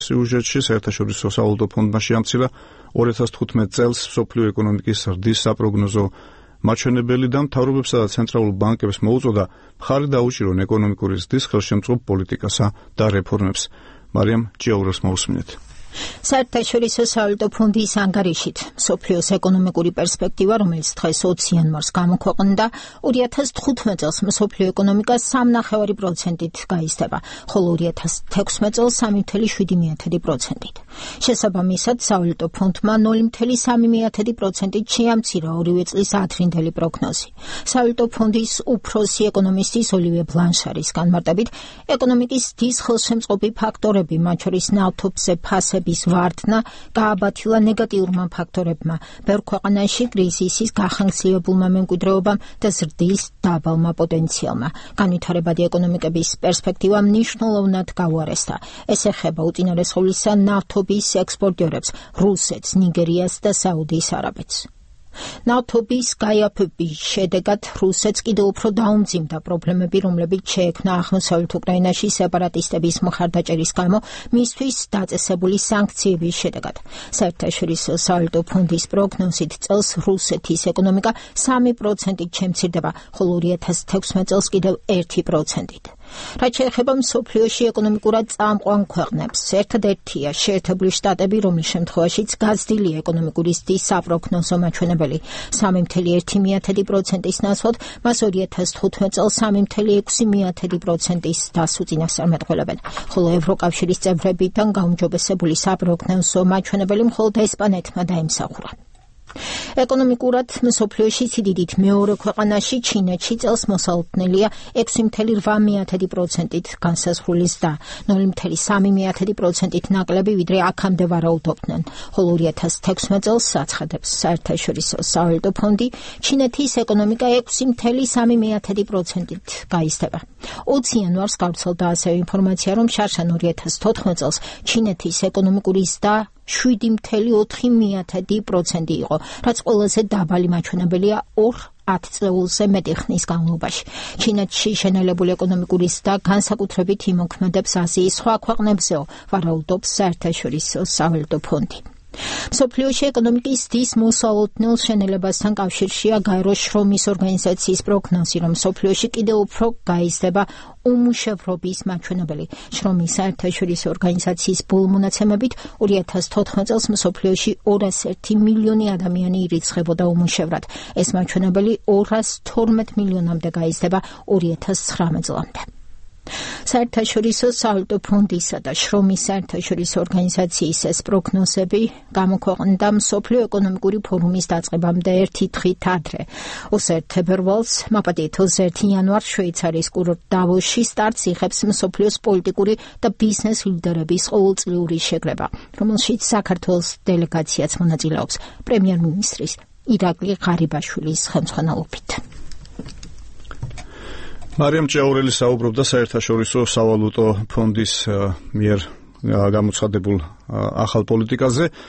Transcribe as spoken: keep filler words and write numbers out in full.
სიუჟეტში საერთაშორისო სავალუტო ფონდმა შეამცირა ორი ათას თხუთმეტ წელს მსოფლიო ეკონომიკის ზრდის საპროგნოზო მაჩვენებელი და მთავრობებსა და ცენტრალურ ბანკებს მოუწოდა მხარი დაუჭირონ ეკონომიკური ზრდის ხელშემწყობ პოლიტიკასა და რეფორმებს. მარიამ ჭიაურას მოусმინეთ. საერთაშორისო სავალუტო ფონდის ანგარიშით მსოფლიოს ეკონომიკური პერსპექტივა, რომელიც დღეს ოცი იანვარს გამოქვეყნდა, ორი ათას თხუთმეტ წელს მსოფლიო ეკონომიკა სამი ნახევარი პროცენტით გაიზრდება, ხოლო ორი ათას თექვსმეტ წელს სამი ფاصლე შვიდი პროცენტით. შესაბამისად, სავალუტო ფონდმა ნული ფاصლე სამი პროცენტით შეამცირა ორივე წლის ადრინდელი პროგნოზი. სავალუტო ფონდის უფროსი ეკონომისტის ოლივიე ბლანშარის განმარტებით, ეკონომიკის ზრდის ხელშემწყობი ფაქტორები, მათ შორის ნავთობზე ფასების ვარდნა გააბათილა ნეგატიურმა ფაქტორებმა, ბევრ ქვეყანაში კრიზისის გახანგრძლივებულმა მემკვიდრეობამ და ზრდის დაბალმა პოტენციალმა. განვითარებადი ეკონომიკების პერსპექტივა მნიშვნელოვნად გაუარესდა. ეს ეხება უწინარესხულისა ნავთობის ექსპორტიორებს, რუსეთს, ნიგერიას და საუდის არაბეთს. ნავთობის გაიაფების შედეგად რუსეთს კიდევ უფრო დაუმძიმდა პრობლემები, რომლებიც შეექმნა აღმოსავლეთ უკრაინაში სეპარატისტების მხარდაჭერის გამო მისთვის დაწესებული სანქციების შედეგად. საერთაშორისო სავალუტო ფონდის პროგნოზით წელს რუსეთის ეკონომიკა სამი პროცენტით შემცირდება, ხოლო ორი ათას თექვსმეტ წელს კიდევ ერთი პროცენტით. რაც შეეხება მსოფლიოში ეკონომიკურად წამყვან ქვეყნებს, ერთადერთია შეერთებული შტატები, რომლის შემთხვევაშიც გაზრდილია ეკონომიკური ზრდის საპროგნოზო მაჩვენებელი სამი ფاصლე ერთი პროცენტის ნაცვლად, მას ორი ათას თხუთმეტ წელს სამი ფاصლე ექვსი პროცენტის დასს უწინასწარმეტყველებენ, ხოლო ევროკავშირის წევრებიდან გაუმჯობესებული საპროგნოზო მაჩვენებელი მხოლოდ ესპანეთმა დაიმსახურა. ეკონომიკურად მსოფლიოში სიდიდით მეორე ქვეყანაში ჩინეთში წელს მოსალოდნელია ექვსი ფاصლე რვა პროცენტით განსაზღვრული ზრდა, ნული ფاصლე სამი პროცენტით ნაკლები, ვიდრე აქამდე ვარაუდობდნენ, ხოლო ორი ათას თექვსმეტ წელს აცხადებს საერთაშორისო სავალუტო ფონდი, ჩინეთის ეკონომიკა ექვსი ფاصლე სამი პროცენტით გაიზრდება. ოცი იანვარს გავრცელდა ასევე ინფორმაცია, რომ შარშან ორი ათას თოთხმეტ წელს ჩინეთის ეკონომიკური ზრდა შვიდი ფاصლე ოთხი პროცენტი იყო, რაც ყველაზე დაბალი მაჩვენებელია ორ ათწლეულზე მეტი ხნის განმავლობაში. ჩინეთში შენელებული ეკონომიკური ზრდა განსაკუთრებით იმოქმედებს აზიის სხვა ქვეყნებზეო, ვარაუდობს საერთაშორისო სავალუტო ფონდი. მსოფლიოში ეკონომიკის ზრდის მოსალოდნელ შენელებასთან კავშირშია გაერო შრომის ორგანიზაციის პროგნოზი, რომ მსოფლიოში კიდევ უფრო გაიზრდება უმუშევრობის მაჩვენებელი. შრომის საერთაშორისო ორგანიზაციის ბოლომონაცემებით ორი ათას თოთხმეტ წელს მსოფლიოში ორას ერთი მილიონი ადამიანი ირიცხებოდა უმუშევრად. ეს მაჩვენებელი ორას თორმეტ მილიონამდე გაიზრდება ორი ათას ცხრამეტ წლამდე. საერთაშორისო სავალუტო ფონდისა და შრომის საერთაშორისო ორგანიზაციის ეს პროგნოზები გამოქვეყნდა მსოფლიო ეკონომიკური ფორუმის დაწყებამდე ერთი დღით ადრე. ოცი თებერვალს, მაპატიეთ ოცი იანვარს შვეიცარიის კურორტ დავოსში სტარტს იღებს მსოფლიოს პოლიტიკური და ბიზნეს ლიდერების ყოველწლიური შეკრება, რომელშიც საქართველოს დელეგაციაც მონაწილეობს პრემიერ-მინისტრის ირაკლი ღარიბაშვილის ხელმძღვანელობით. მარიამ ჭიაურელი საუბრობდა საერთაშორისო სავალუტო ფონდის მიერ გამოცხადებულ ახალ პოლიტიკაზე.